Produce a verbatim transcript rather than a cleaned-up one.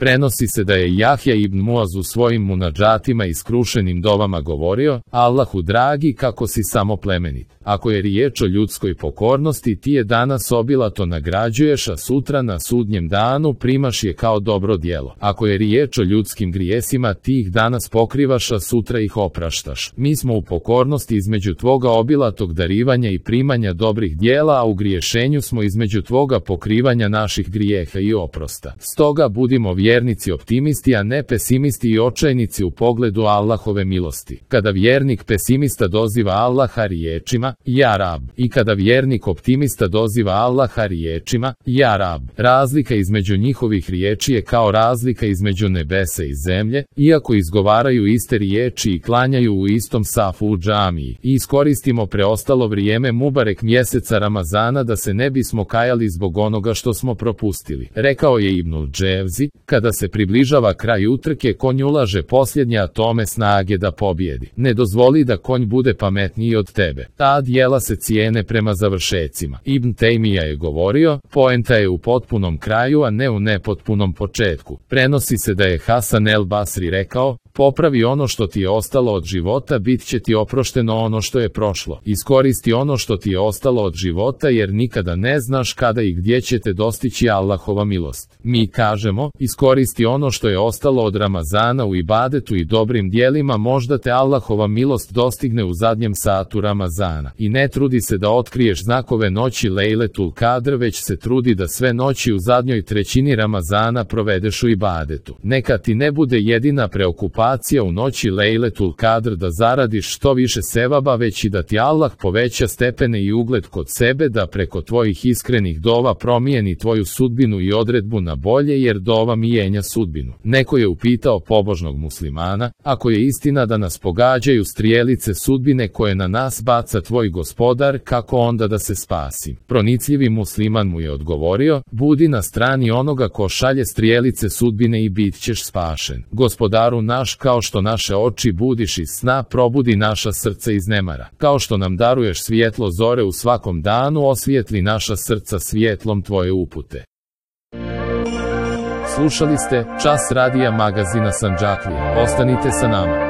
Prenosi se da je Jahja ibn Muaz u svojim munadžatima i skrušenim dovama govorio: Allahu dragi, kako si samo plemenit. Ako je riječ o ljudskoj pokornosti, ti je danas obilato nagrađuješ, a sutra na sudnjem danu primaš je kao dobro djelo. Ako je riječ o ljudskim grijesima, ti ih danas pokrivaš, a sutra ih opraštaš. Mi smo u pokornosti između tvoga obilatog darivanja i primanja dobrih djela, a u griješenju smo između tvoga pokrivanja naših grijeha i oprosta. Stoga budimo vjernici optimisti, a ne pesimisti i očajnici u pogledu Allahove milosti. Kada vjernik pesimista doziva Allaha riječima: Ja Rab, i kada vjernik optimista doziva Allaha riječima: Ja Rab, razlika između njihovih riječi je kao razlika između nebesa i zemlje, iako izgovaraju iste riječi i klanjaju u istom safu u džamiji. I iskoristimo preostalo vrijeme Mubarek mjeseca Ramazana da se ne bismo kajali zbog onoga što smo propustili. Rekao je Ibnul Dževzi: Kada se približava kraj utrke, konj ulaže posljednje atome snage da pobjedi. Ne dozvoli da konj bude pametniji od tebe. Ta djela se cijene prema završecima. Ibn Tejmija je govorio: Poenta je u potpunom kraju, a ne u nepotpunom početku. Prenosi se da je Hasan el Basri rekao: Popravi ono što ti je ostalo od života, bit će ti oprošteno ono što je prošlo. Iskoristi ono što ti je ostalo od života, jer nikada ne znaš kada i gdje će te dostići Allahova milost. Mi kažemo: Iskoristi ono što je ostalo od Ramazana u ibadetu i dobrim djelima, možda te Allahova milost dostigne u zadnjem satu Ramazana. I ne trudi se da otkriješ znakove noći Lejletul Kadr, već se trudi da sve noći u zadnjoj trećini Ramazana provedeš u ibadetu. Neka ti ne bude jedina preokupacija u noći Lejletul Kadr da zaradiš što više sevaba, već i da ti Allah poveća stepene i ugled kod sebe, da preko tvojih iskrenih dova promijeni tvoju sudbinu i odredbu na bolje, jer dova mijenja sudbinu. Neko je upitao pobožnog muslimana: Ako je istina da nas pogađaju strijelice sudbine koje na nas baca tvoj gospodar, kako onda da se spasim? Pronicljivi musliman mu je odgovorio: Budi na strani onoga ko šalje strijelice sudbine i bit ćeš spašen. Gospodaru naš, kao što naše oči budiš iz sna, probudi naša srca iz nemara. Kao što nam daruješ svjetlo zore u svakom danu, osvijetli naša srca svjetlom tvoje upute. Slušali ste Čas radija magazina Sandžaklija. Ostanite sa nama.